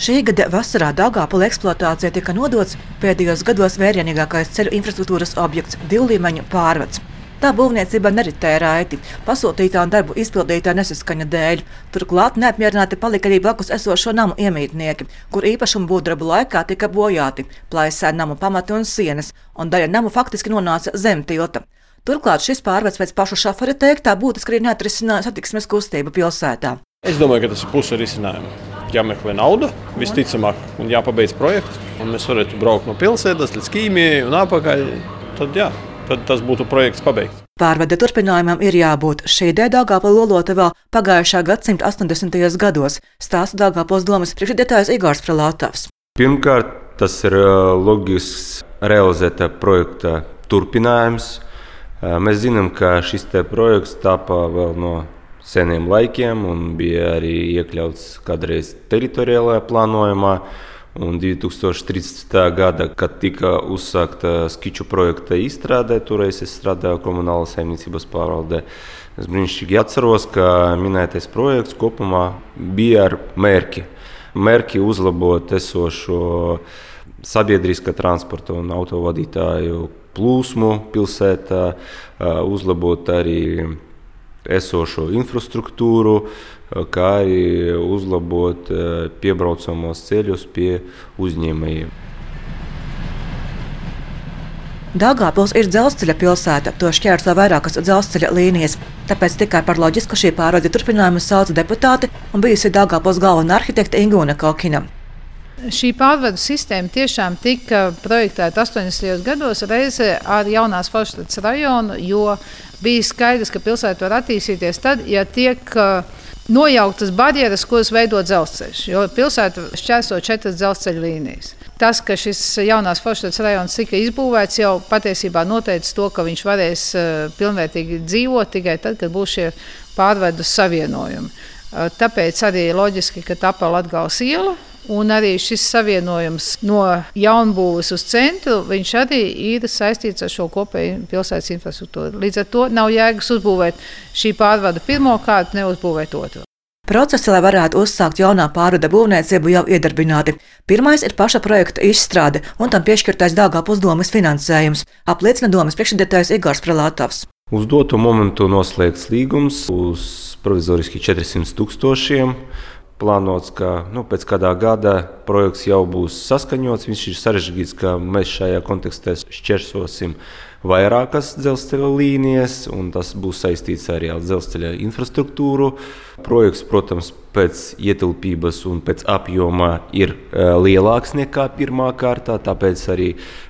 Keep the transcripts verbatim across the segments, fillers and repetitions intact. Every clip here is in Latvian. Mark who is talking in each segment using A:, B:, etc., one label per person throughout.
A: Šī gada vasarā Daugavpilī eksploatācija tika nodots pēdējos gados vērienīgākais ceļu infrastruktūras objekts – divlīmeņu pārvads. Tā būvniecība neritēja raiti, pasūtītā un darbu izpildītā nesaskaņa dēļ. Turklāt neapmierināti palika arī blakus esošo namu iemītnieki, kur īpašumu būvdarbu laikā tika bojāti, plaisēja namu pamati un sienas, un daļa namu faktiski nonāca zem tilta. Turklāt šis pārvads pēc pašu šofera teiktā būtiski arī neatrisināja satiksmes kustību pilsētā.
B: Es domāju, ka tas ir puse risinājuma. Jāmeklē nauda, visticamāk, un jāpabeidz projekts, un mēs varētu braukt no pilsētas līdz Kīmijai un atpakaļ. Tad, jā, tad tas būtu projekts pabeigts.
A: Pārvada turpinājumam ir jābūt. Šī ideja Daugavpilī lolota vēl pagājušā gadsimta astoņdesmitajos gados, stāsta Daugavpils domas priekšsēdētājs Igors Frelovs.
C: Pirmkārt, tas ir loģisks realizēta projekta turpinājums. Mēs zinām, ka šis te projekts tāpa vēl no seniem laikiem un bija arī iekļauts kādreiz teritoriālajā plānojumā. Un divi tūkstoši trīsdesmitā gada, kad tika uzsākta skiču projekta izstrādē, toreiz es strādāju komunālas saimniecības pārvaldē. Es brīnišķīgi atceros, ka minētais projekts kopumā bija ar mērķi. Mērķi uzlabot esošo sabiedriskā transporta un autovadītāju plūsmu pilsētā, uzlabot arī esošo infrastruktūru, kā arī uzlabot piebraucamos ceļus pie uzņēmējiem.
A: Daugavpils ir dzelzceļa pilsēta, to šķērso vairākas dzelzceļa līnijas. Tāpēc tikai par loģisku šī pārvada turpinājumu sauca deputāti un bijusi Daugavpils galvenā arhitekte Ingūna Kokina.
D: Šī pārvadu sistēma tiešām tika projektēta astoņdesmitajos gados reizē ar Jaunās Forštatas rajonu, jo bija skaidrs, ka pilsēta var attīstīties tad, ja tiek nojauktas barjeras, kuras veido dzelzceļš, jo pilsēta šķērso četras dzelzceļa līnijas. Tas, ka šis Jaunās Forštatas rajons tika izbūvēts, jau patiesībā noteica to, ka viņš varēs pilnvērtīgi dzīvot tikai tad, kad būs šie pārvadu savienojumi. Tāpēc arī loģiski, ka tapa Latgales iela. Un arī šis savienojums no jaunbūves uz centru, viņš arī ir saistīts ar šo kopēju pilsētas infrastruktūru. Līdz ar to nav jēgas uzbūvēt šī pārvada pirmo kārtu, neuzbūvēt otru.
A: Procesi, lai varētu uzsākt jaunā pārvada būvniecību, jau iedarbināti. Pirmais ir paša projekta izstrāde un tam piešķirtais Daugavpils domas finansējums, apliecina domas priekšsēdētājs Igors Frelovs.
C: Uz doto momentu noslēgts līgums uz provizoriski četrsimt tūkstošiem. Plānots, ka nu, pēc kādā gada projekts jau būs saskaņots. Viņš ir sarežģīts, ka mēs šajā kontekstā šķērsosim vairākas dzelzceļa līnijas, un tas būs saistīts arī ar dzelzceļa infrastruktūru. Projekts, protams, pēc ietilpības un pēc apjoma ir lielāks nekā pirmā kārtā, tāpēc arī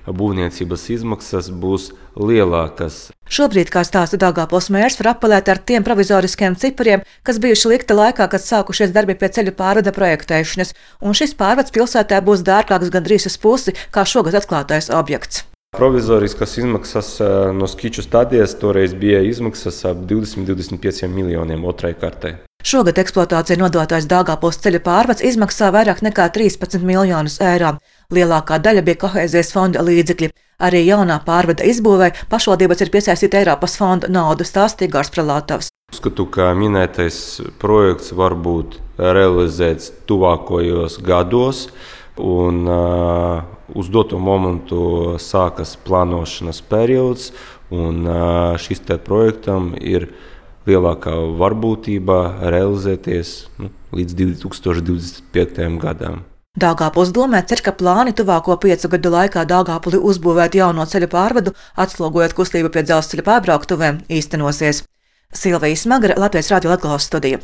C: būvniecības izmaksas būs lielākas.
A: Šobrīd, kā stāsta Daugavpils mērs, var apelēt ar tiem provizoriskiem cipariem, kas bijuši likti laikā, kad sākušies darbi pie ceļu pārvada projektēšanas, un šis pārvads pilsētā būs dārgāks gandrīz uz pusi, kā šogad atklātais objekts.
C: Provizoriskas izmaksas no skiču stadijas toreiz bija izmaksas ap divdesmit līdz divdesmit pieciem miljoniem otrai kārtai.
A: Šogad eksploatācija nodotais Daugavpils ceļu pārvads izmaksā vairāk nekā trīspadsmit miljonus eiro. Lielākā daļa bija kohēzijas fonda līdzekļi. Arī jaunā pārvada izbūvē pašvaldības ir piesaistīta Eiropas fonda naudu, stāsta Igors Frelovs.
C: Uzskatu, ka minētais projekts var būt realizēts tuvākajos gados, un uh, uz doto momentu sākas plānošanas periods, un uh, šis te projektam ir lielākā varbūtība realizēties nu, līdz divi tūkstoši divdesmit piektajam gadam.
A: Daugavpils domē cer, ka plāni tuvāko piecu gadu laikā Daugavpilī uzbūvēt jauno ceļu pārvadu, atslogojot kustību pie dzelzceļa pārbrauktuvēm, īstenosies. Silvija Smagara, Latvijas radio Latgales studija.